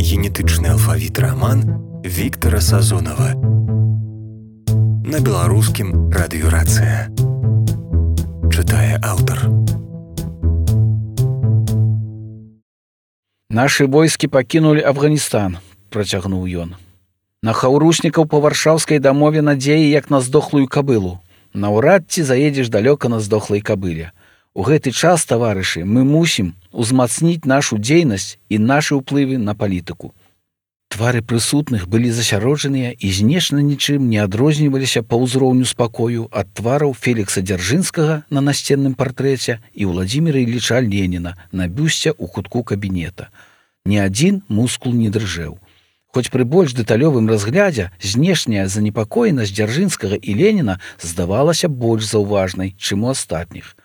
генетычны алфавіт раман Віктара Сазонава. На беларускім радыёрацыя. Чытае аўтар. Нашы войскі пакінулі Афганістан, працягнуў ён. На хаўруснікаў па варшаўскай дамове надзеі, як на здохлую кабылу. Наўрад ці заедзеш далёка на здохлай кабыле. У гэты час, таварышы, мы мусім узмацніць нашу дзейнасць і нашы ўплывы на палітыку. Твары прысутных былі засяроджаныя і знешне нічым не адрозніваліся па ўзроўню спакою ад твараў Фелікса Дзяржынскага на насценным партрэце і Владзіміра Ілліча Леніна на бюсце ў кутку кабінета. Ні адзін мускул не дрыжэў. Хоць пры больш дэталёвым разглядзе знешняя занепакоенасць Дзяржынскага і Леніна здавалася больш заўважнай, чым у астатніх.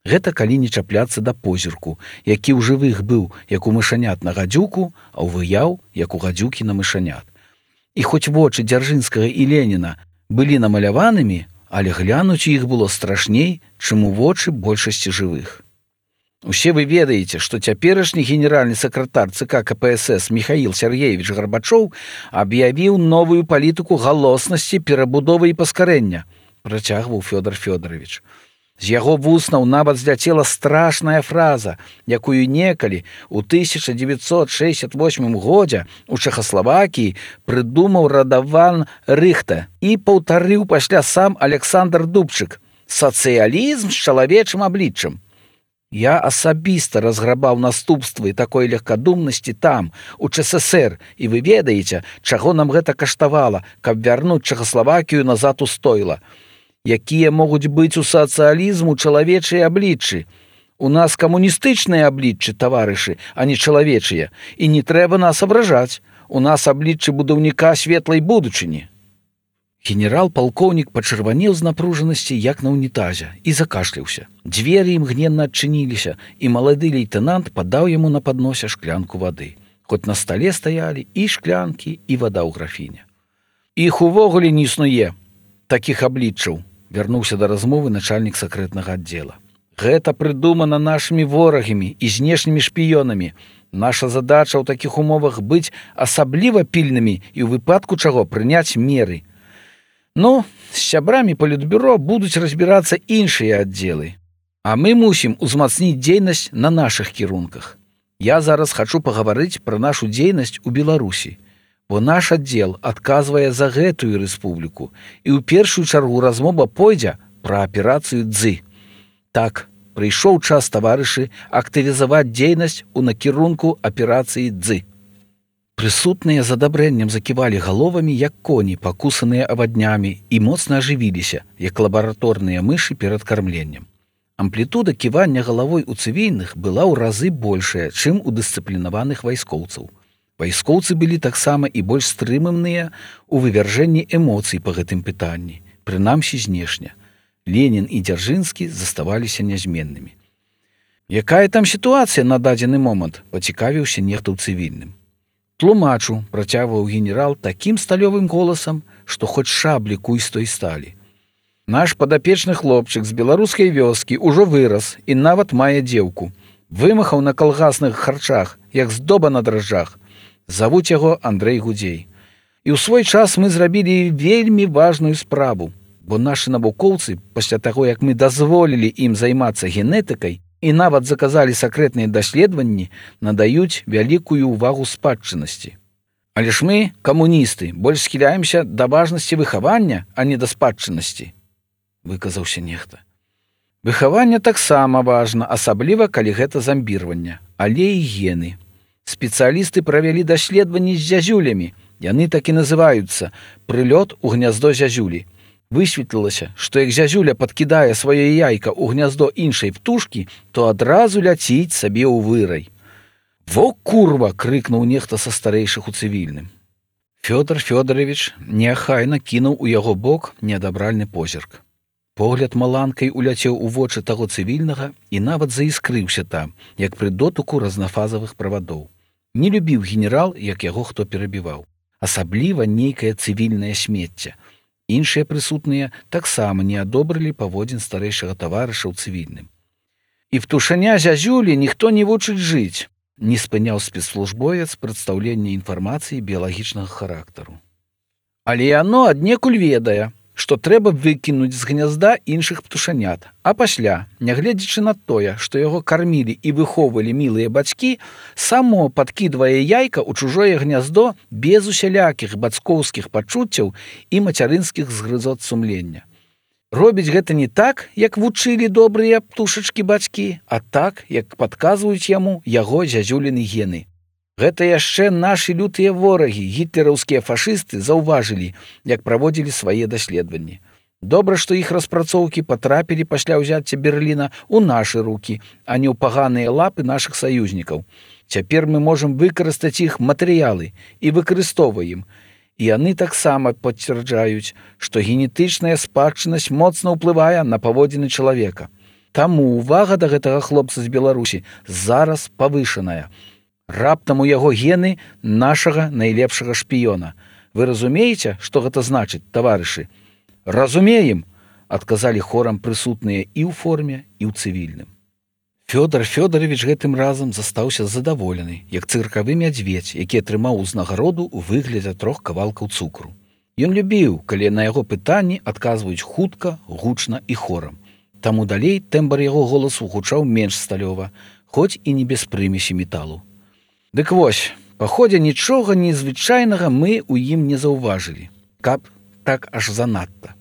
Гэта калі не чапляцца да позірку, які ў жывых быў, як у мышанят на гадзюку, а ў выяў, як у гадзюкі на мышанят. І хоць вочы Дзяржынскага і Леніна былі намаляванымі, але глянуць іх было страшней, чым у вочы большасці жывых. Усе вы ведаеце, што цяперашні генеральны сакратар ЦК КПСС Міхаіл Сергеевич Гарбачоў аб'явіў новую палітыку галоснасці, перабудовы і паскарэння, працягваў Фёдор Фёдорович. З яго вуснаў нават зляцела страшная фраза, якую некалі ў 1968 годзе ў Чэхаславакіі прыдумаў Радаван Рыхта і паўтарыў пасля сам Александр Дубчык: «Сацыялізм з чалавечым абліччам». Я асабіста разграбаў наступствы такой легкадумнасці там, у ЧССР, і вы ведаеце, чаго нам гэта каштавала, каб вярнуць Чэхаславакію назад у стойла. Якія могуць быць у сацыялізму чалавечыя абліччы. У нас камуністычныя абліччы, таварышы, а не чалавечыя, і не трэба нас абражаць. У нас абліччы будаўніка светлай будучыні. Генерал-палкоўнік пачырванеў з напружанасці, як на ўнітазе, і закашляўся. Дзверы імгненна адчыніліся, і малады лейтэнант падаў яму на падносе шклянку вады. Хоць на стале стаялі і шклянкі, і вада ў графіне. Іх увогуле не існуе такіх абліччаў, вярнуўся да размовы начальнік сакрэтнага аддзела. Гэта прыдумана нашымі ворагамі і знешнімі шпіёнамі. Наша задача ў такіх умовах быць асабліва пільнымі і ў выпадку чаго прыняць меры. Ну, з сябрамі палітбюро будуць разбірацца іншыя аддзелы. А мы мусім узмацніць дзейнасць на нашых кірунках. Я зараз хачу пагаварыць пра нашу дзейнасць у Беларусі. Бо наш аддзел адказвае за гэтую рэспубліку, і ў першую чаргу размова пойдзе пра аперацыю «Дзы». Так, прыйшоў час, таварышы, актывізаваць дзейнасць у накірунку аперацыі «Дзы». Прысутныя з адабрэннем заківалі галовамі, як коні, пакусаныя аваднямі, і моцна ажывіліся, як лабараторныя мышы перад кармленнем. Амплітуда ківання галавой у цывільных была ў разы большая, чым у дысцыплінаваных вайскоўцаў. Вайскоўцы былі таксама і больш стрыманыя ў вывяржэнні эмоцый па гэтым пытанні, прынамсі знешне. Ленін і Дзяржынскі заставаліся нязменнымі. Якая там сітуацыя на дадзены момант, пацікавіўся нехта ў цывільным. Тлумачу, працягваў генерал такім сталёвым голасам, што хоць шаблі куй з той сталі. Наш падапечны хлопчык з беларускай вёскі ўжо вырас і нават мае дзеўку. Вымахаў на калгасных харчах, як здоба на дражджах. Завуць яго Андрэй Гудзей. І ў свой час мы зрабілі вельмі важную справу, бо нашы навукоўцы, пасля таго, як мы дазволілі ім займацца генетыкай і нават заказалі сакрэтныя даследаванні, надаюць вялікую ўвагу спадчыннасці. Але ж мы, камуністы, больш схіляемся да важнасці выхавання, а не да спадчыннасці, выказаўся нехта. Выхаванне таксама важна, асабліва, калі гэта замбірванне, але і гены. Спецыялісты правялі даследаванні з зязюлямі. Яны так і называюцца «прылёт у гняздо зязюлі». Высветлілася, што як зязюля падкідае сваё яйка ў гняздо іншай птушкі, то адразу ляціць сабе ў вырай. «Во курва!» — крыкнуў нехта са старэйшых у цывільным. Фёдор Фёдорович неахайна кінуў у яго бок неадабральны позірк. Погляд маланкай уляцеў у вочы таго цывільнага і нават заіскрыўся там, як пры дотыку разнафазавых правадоў. Не любіў генерал, як яго хто перабіваў. Асабліва нейкае цывільнае смецце. Іншыя прысутныя таксама не адобрылі паводзін старэйшага таварыша ў цывільным. І птушаня зязюлі ніхто не вучыць жыць. не спыняў спецслужбовец прадстаўлення інфармацыі біялагічнага характару. Але яно аднекуль ведае, што трэба выкінуць з гнязда іншых птушанят, а пасля, нягледзячы на тое, што яго кармілі і выхоўвалі мілыя бацькі, само падкідвае яйка ў чужое гняздо без усялякіх бацькоўскіх пачуццяў і мацярынскіх згрызот сумлення. Робіць гэта не так, як вучылі добрыя птушачкі бацькі, а так, як падказваюць яму яго зязюліны гены. Гэта яшчэ нашы лютыя ворагі, гітлераўскія фашысты, заўважылі, як праводзілі свае даследаванні. Добра, што іх распрацоўкі патрапілі пасля ўзяцця Берліна ў нашы рукі, а не ў паганыя лапы нашых саюзнікаў. Цяпер мы можам выкарыстаць іх матэрыялы і выкарыстоўваем. І яны таксама пацвярджаюць, што генетычная спадчыннасць моцна ўплывае на паводзіны чалавека. Таму ўвага да гэтага хлопца з Беларусі зараз павышаная. Раптам у яго гены нашага найлепшага шпіёна. Вы разумееце, што гэта значыць, таварышы? Разумеем, адказалі хорам прысутныя і ў форме, і ў цывільным. Фёдор Фёдорович гэтым разам застаўся задаволены, як цыркавы мядзведзь, які атрымаў узнагароду ў выглядзе 3 кавалкаў цукру. Ён любіў, калі на яго пытанні адказваюць хутка, гучна і хорам. Таму далей тэмбр яго голасу гучаў менш сталёва, хоць і не без прымесі металу. Дык вось, паходзя нічога незвычайнага мы ў ім не заўважылі, каб так аж занадта.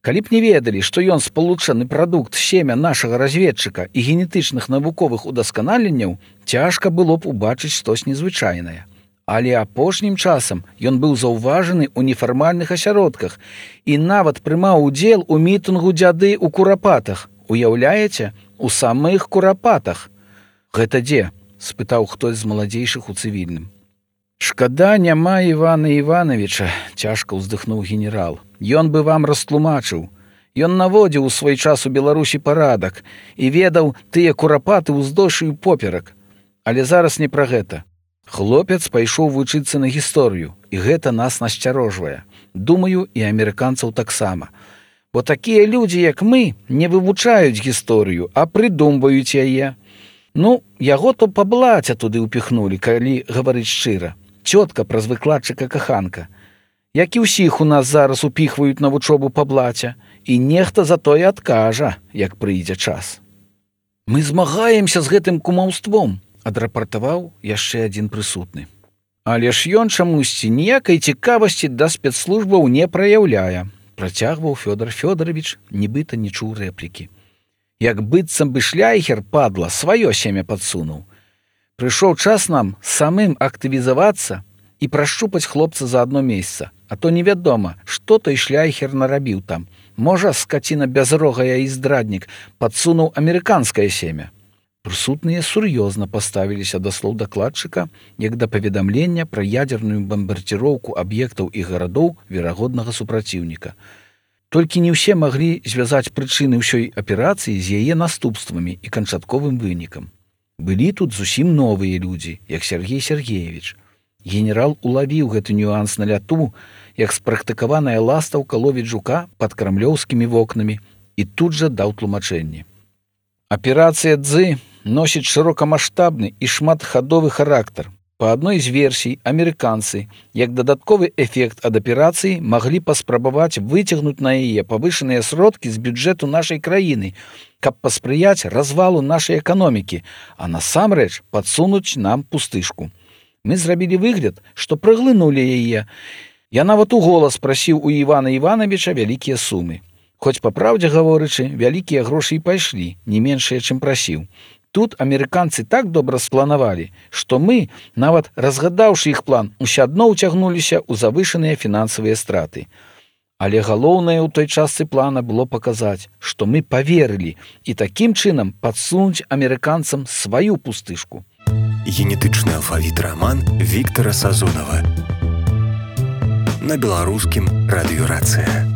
Калі б не ведалі, што ён спалучаны прадукт семя нашага разведчыка і генетычных навуковых удасканаленняў, цяжка было б убачыць штось незвычайнае. Але апошнім часам ён быў заўважаны ў нефармальных асяродках і нават прымаў удзел у мітынгу дзяды ў Курапатах. Уяўляеце, у самых Курапатах. Гэта дзе? Спытаў хтось з маладзейшых у цывільным. Шкада, няма Івана Івановича, цяжка ўздыхнуў генерал. Ён бы вам растлумачыў. Ён наводзіў у свой час у Беларусі парадак і ведаў тыя курапаты ўздоўж і поперак. Але зараз не пра гэта. Хлопец пайшоў вучыцца на гісторыю, і гэта нас насцярожвае. Думаю, і амерыканцаў таксама. Бо такія людзі, як мы, не вывучаюць гісторыю, а прыдумваюць яе. Ну, яго то па блаце туды ўпіхнулі, калі гаварыць шчыра. Цётка праз выкладчыка каханка. Як і ўсіх у нас зараз упіхваюць на вучобу па блаце, і нехта за тое адкажа, як прыйдзе час. Мы змагаемся з гэтым кумаўством, адрапартаваў яшчэ адзін прысутны. Але ж ён чамусьці ніякай цікавасці да спецслужбаў не праяўляе, працягваў Фёдор Фёдорович, нібыта не чуў рэплікі. Як быццам бы шляйхер, падла, сваё семя падсунуў. Прыйшоў час нам самым актывізавацца і прашчупаць хлопца за адно месца, а то невядома, што той шляйхер нарабіў там. Можа, скаціна бязрогая і здраднік падсунуў амерыканскае семя. Прысутныя сур'ёзна паставіліся да слоў дакладчыка, як да паведамлення пра ядзерную бамбардзіроўку аб'ектаў і гарадоў верагоднага супраціўніка. Толькі не ўсе маглі звязаць прычыны ўсёй аперацыі з яе наступствамі і канчатковым вынікам. Былі тут зусім новыя людзі, як Сергей Сергеевич. Генерал улавіў гэты нюанс на ляту, як спрактыкаваная ластаўка ловіць жука пад крамлёўскімі вокнамі, і тут жа даў тлумачэнне. Аперацыя «Дзы» носіць шырокамаштабны і шматхадовы характар. Па адной з версій, амерыканцы, як дадатковы эфект ад аперацыі, маглі паспрабаваць выцягнуць на яе павышаныя сродкі з бюджэту нашай краіны, каб паспрыяць развалу нашай эканомікі, а насамрэч падсунуць нам пустышку. Мы зрабілі выгляд, што праглынулі яе. Я нават у голас прасіў у Івана Івановича вялікія сумы. Хоць, па праўдзе гаворычы, вялікія грошы і пайшлі, не меншыя, чым прасіў. Тут амерыканцы так добра спланавалі, што мы, нават разгадаўшы іх план, усё адно ўцягнуліся ў завышаныя фінансавыя страты. Але галоўнае ў той частцы плана было паказаць, што мы паверылі і такім чынам падсунуць амерыканцам сваю пустышку. Генетычны алфавіт раман Віктара Сазонава. На беларускім радыёрацыя.